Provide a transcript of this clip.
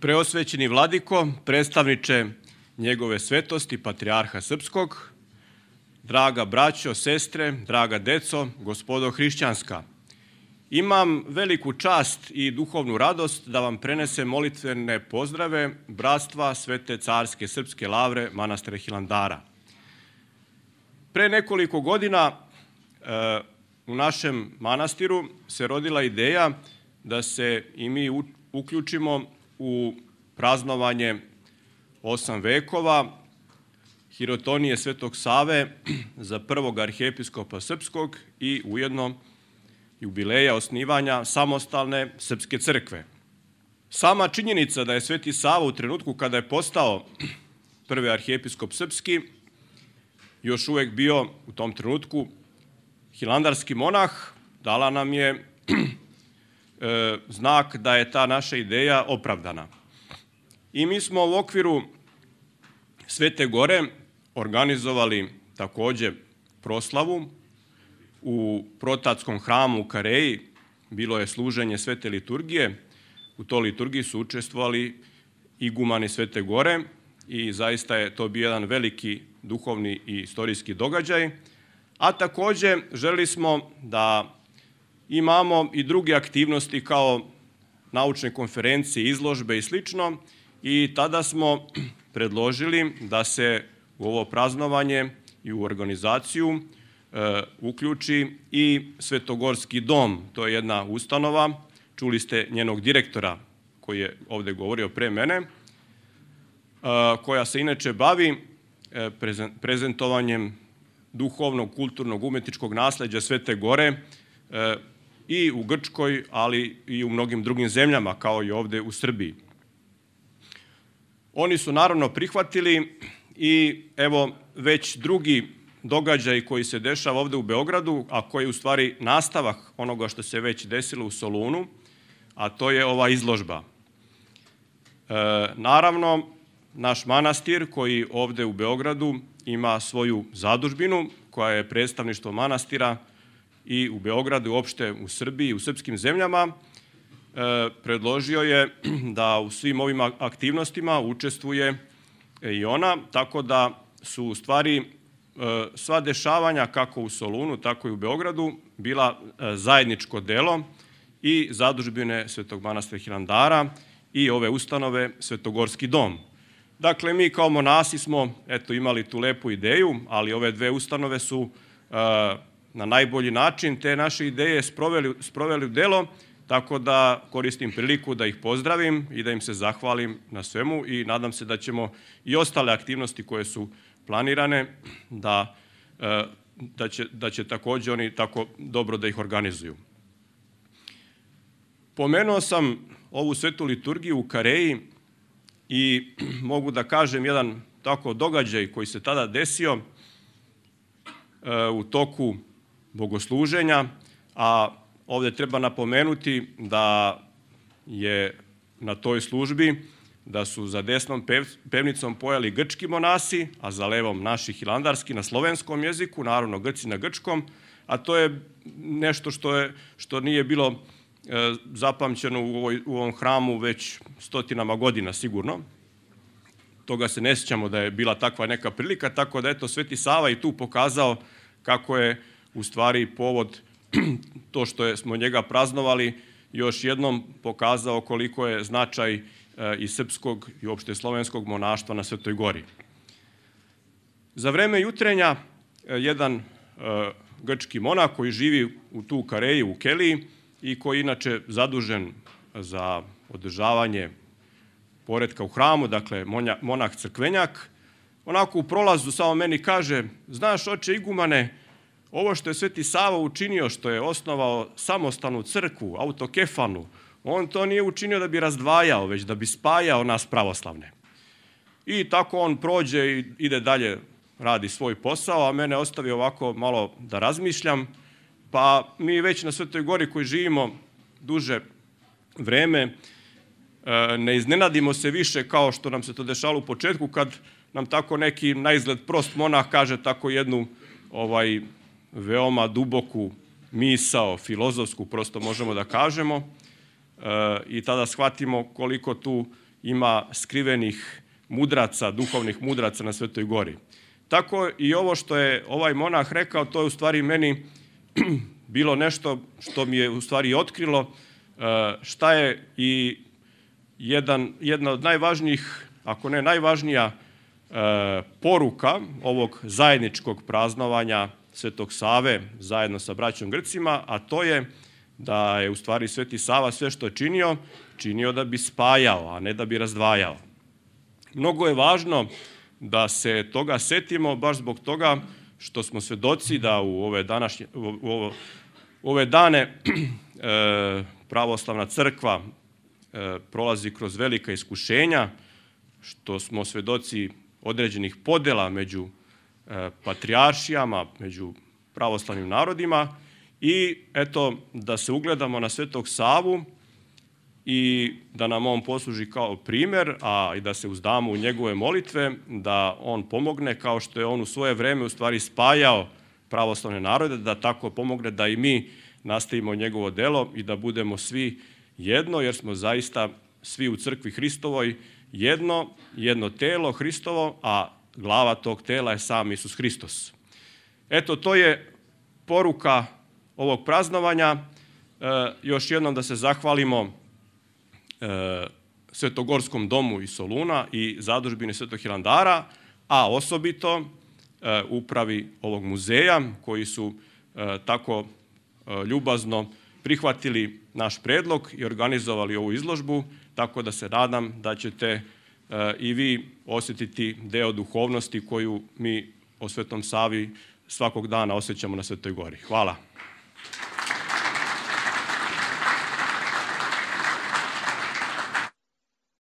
Preosvećeni vladiko, predstavniče njegove svetosti, patrijarha srpskog, draga braćo, sestre, draga deco, gospodo hrišćanska, imam veliku čast i duhovnu radost da vam prenesem molitvene pozdrave bratstva Svete carske srpske lavre manastira Hilandara. Pre nekoliko godina u našem manastiru se rodila ideja da se i mi uključimo u praznovanje 8 vekova hirotonije Svetog Save za prvog arhijepiskopa srpskog i ujedno jubileja osnivanja samostalne srpske crkve. Sama činjenica da je Sveti Sava u trenutku kada je postao prvi arhijepiskop srpski još uvek bio u tom trenutku hilandarski monah, dala nam je znak da je ta naša ideja opravdana. I mi smo u okviru Svete Gore organizovali takođe proslavu u Protatskom hramu u Kareji. Bilo je služenje Svete liturgije. U toj liturgiji su učestvovali igumani Svete Gore i zaista je to bio jedan veliki duhovni i istorijski događaj. A takođe želeli smo da imamo i druge aktivnosti kao naučne konferencije, izložbe i slično, i tada smo predložili da se u ovo praznovanje i u organizaciju uključi i Svetogorski dom. To je jedna ustanova, čuli ste njenog direktora koji je ovde govorio pre mene, koja se inače bavi prezentovanjem duhovnog, kulturnog, umetničkog nasleđa Svete Gore i u Grčkoj, ali i u mnogim drugim zemljama, kao i ovde u Srbiji. Oni su naravno prihvatili i evo već drugi događaj koji se dešava ovde u Beogradu, a koji je u stvari nastavak onoga što se već desilo u Solunu, a to je ova izložba. Naravno, naš manastir koji ovde u Beogradu ima svoju zadužbinu koja je predstavništvo manastira i u Beogradu, uopšte u Srbiji, u srpskim zemljama, predložio je da u svim ovim aktivnostima učestvuje i ona, tako da su u stvari sva dešavanja kako u Solunu, tako i u Beogradu bila zajedničko delo i zadužbine Svetog manastira Hilandara i ove ustanove Svetogorski dom. Dakle, mi kao monasi smo imali tu lepu ideju, ali ove dve ustanove su na najbolji način te naše ideje sproveli u delo, tako da koristim priliku da ih pozdravim i da im se zahvalim na svemu i nadam se da ćemo i ostale aktivnosti koje su planirane da će takođe oni tako dobro da ih organizuju. Pomenuo sam ovu svetu liturgiju u Kareji i mogu da kažem jedan tako događaj koji se tada desio u toku bogosluženja, a ovde treba napomenuti da je na toj službi da su za desnom pevnicom pojali grčki monasi, a za levom naši hilandarski na slovenskom jeziku, naravno Grci na grčkom, a to je nešto što nije bilo zapamćeno u ovom hramu već stotinama godina sigurno. Toga se ne sjećamo da je bila takva neka prilika, tako da eto Sveti Sava i tu pokazao kako je u stvari povod to što smo njega praznovali, još jednom pokazao koliko je značaj i srpskog i uopšte slovenskog monaštva na Svetoj Gori. Za vreme jutrenja jedan grčki monah koji živi u tu Kareji, u Keliji, i koji je inače zadužen za održavanje poretka u hramu, dakle monah crkvenjak, onako u prolazu samo meni kaže: znaš, oče igumane, ovo što je Sveti Sava učinio, što je osnovao samostalnu crkvu, autokefalnu, on to nije učinio da bi razdvajao, već da bi spajao nas pravoslavne. I tako on prođe i ide dalje, radi svoj posao, a mene ostavi ovako malo da razmišljam, pa mi već na Svetoj Gori koji živimo duže vreme ne iznenadimo se više kao što nam se to dešalo u početku, kad nam tako neki naizgled prost monah kaže tako jednu veoma duboku misao, filozofsku, prosto možemo da kažemo, i tada shvatimo koliko tu ima skrivenih mudraca, duhovnih mudraca na Svetoj gori. Tako i ovo što je ovaj monah rekao, to je u stvari meni bilo nešto što mi je u stvari otkrilo šta je i jedna od najvažnijih, ako ne najvažnija poruka ovog zajedničkog praznovanja Svetog Save zajedno sa braćom Grcima, a to je da je u stvari Sveti Sava sve što je činio da bi spajao, a ne da bi razdvajao. Mnogo je važno da se toga setimo baš zbog toga što smo svedoci da u ove dane pravoslavna crkva prolazi kroz velika iskušenja, što smo svedoci određenih podela među patrijaršijama, među pravoslavnim narodima i eto da se ugledamo na Svetog Savu i da nam on posluži kao primer, a i da se uzdamo u njegove molitve, da on pomogne kao što je on u svoje vreme u stvari spajao pravoslavne narode, da tako pomogne da i mi nastavimo njegovo delo i da budemo svi jedno, jer smo zaista svi u crkvi Hristovoj jedno telo Hristovo, a glava tog tela je sam Isus Hristos. Eto, to je poruka ovog praznovanja. Još jednom da se zahvalimo Svetogorskom domu iz Soluna i zadužbini Svetog Hilandara, a osobito upravi ovog muzeja koji su tako ljubazno prihvatili naš predlog i organizovali ovu izložbu, tako da se nadam da ćete i vi osjetiti deo duhovnosti koju mi o Svetom Savi svakog dana osjećamo na Svetoj gori. Hvala.